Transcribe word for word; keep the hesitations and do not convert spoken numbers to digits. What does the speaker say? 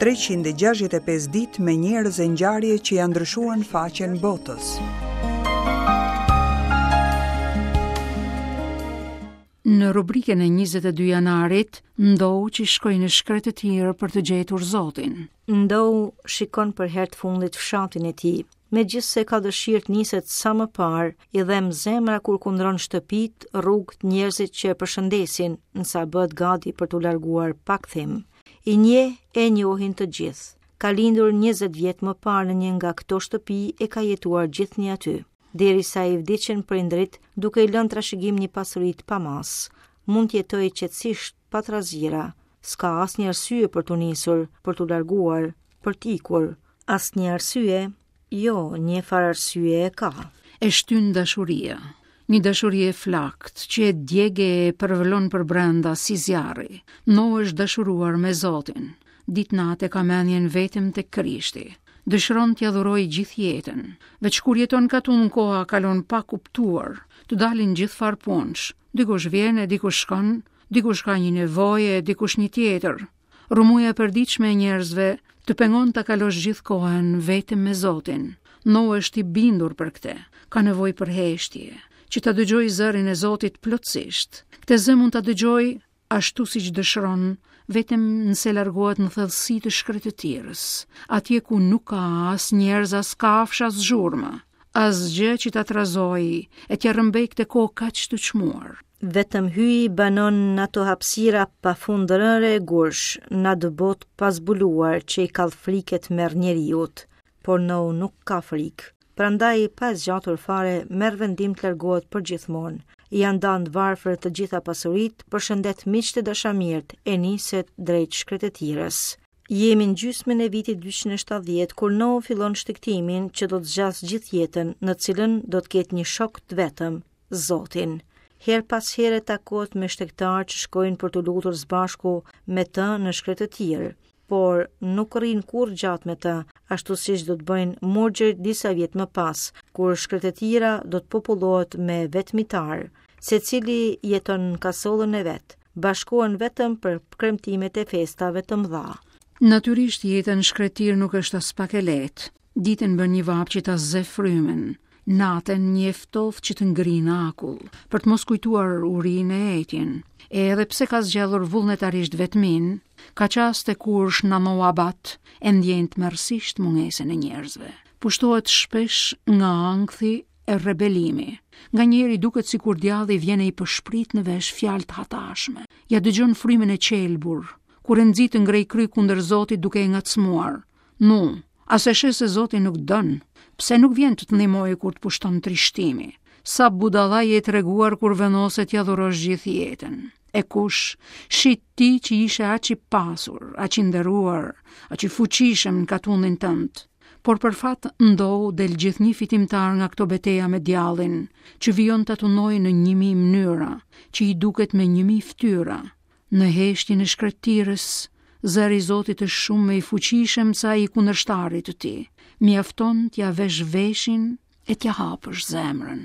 treqind e gjashtëdhjetë e pesë ditë me njerëz e ngjarje që janë ndryshuar në faqen botës. Në rubrikën e njëzet e dy janarit, Ndou që shkoi në shkretëtirë për të gjetur Zotin. Ndou shikon për herë të fundit fshatin e tij. Megjithse ka dëshirë të niset sa më parë, i dhem zemra kur kundron shtëpit, rrugët, njerëzit që e përshëndesin, nësa bëhet gati për t'u larguar pa kthim. I njeh e njohin të gjithë. Ka lindur njëzet vjet më parë në një nga këto shtëpi e ka jetuar gjithnjë aty, derisa i vdiqën prindrit, duke i lënë trashëgim një pasuri të pamas. Mund të jetojë qetësisht pa trazira. S'ka asnjë arsye për t'u nisur, për t'u larguar, për t'ikur. Asnjë arsye? Jo, një farë arsye e ka. E shtyn dashuria. Një dashuri e flakt, që e djege e përvlon për brenda si zjarri. No është dashuruar me Zotin. Ditë natë e ka mendjen vetëm tek Krishti. Dëshiron t'ia dhurojë gjithë jetën. Veç kur jeton katun koha kalon pa kuptuar, të dalin gjithfarë punësh. Dikush vjen e dikush shkon, dikush ka një nevojë e dikush një tjetër. Rrëmuja e përditshme e njerëzve të pengon ta kalosh gjithë kohën vetëm me Zotin. No është i bindur për këtë. Ka nevojë për heshtje, që ta dëgjojë zërin e Zotit plotësisht. Këtë zë mund ta dëgjojë ashtu siç dëshiron, vetëm nëse largohet në thellësi të shkretëtirës, atje ku nuk ka as njerëz, as kafshë, as zhurmë, asgjë që ta trazojë e t'ia rrëmbej këtë kohë kaq të çmuar. Vetëm hyi banon në ato hapësira pa fund rëre e gursh, në atë botë pa zbuluar që i kall friket merr njeriut, por Nou nuk ka frikë. Prandaj pa zgjatur fare merr vendim të largohet për gjithmonë. I janë ndarë të varfër të gjitha pasuritë, përshëndet miqtë e dashamirët e niset drejt shkretëtirës. Jemi në gjysmën e vitit dyqind e shtatëdhjetë kur Nou fillon shtegtimin që do të zgjasë gjithë jetën, në cilën do të ketë një shok të vetëm, Zotin. Her pas here takohet me shtegtar që shkojnë për t'u lutur së bashku me të në shkretëtirë, por nuk rrin kurrë gjatë me të, ashtu siç do të bëjnë murgjër disa vjet më pas, kur shkretëtira do të popullohet me vetmitar. Secili jeton në kasollën e vet, bashkohen vetëm për kremtimet e festave të mëdha. Natyrisht jeta në shkretir nuk është as pak e lehtë. Ditën bën një vapë që ta zë frymën, natën një ftohtë që të ngrin akull, për të mos kujtuar urinë e etjen. E edhe pse ka zgjedhur vullnetarisht vetmin, ka çaste kur shnamoabat e ndjen tmerrësisht mungesën e njerëzve. Pushtohet shpesh nga ankthi e rebelimi. Nga njeri duket sikur djalli vjen e i pëshprit në vesh fjalë të hatashme. Ja dëgjon frymën e qelbur, kur e nxit të ngrej kry kundër Zotit duke e ngacmuar. Nu, a se sheh se Zoti nuk dën? Pse nuk vjen të të ndihmojë kur të pushton trishtimi? Sa budalla je treguar kur vendoset t'ia dhurosh gjithë jetën. E kush, shi ti që ishe aq i pasur, aq i nderuar, aq i fuqishëm në katundin tënd. Por për fat Ndou del gjithnjë fitimtar nga këto beteja me djallin, që vijon ta tunojë në një mijë mënyra, që i duket me një mijë fytyra. Në heshtjen e shkretirës, zëri i Zotit është shumë më i fuqishëm se ai i kundërshtarit të tij. Mjafton t'ia vesh veshin e t'ia hapësh zemrën.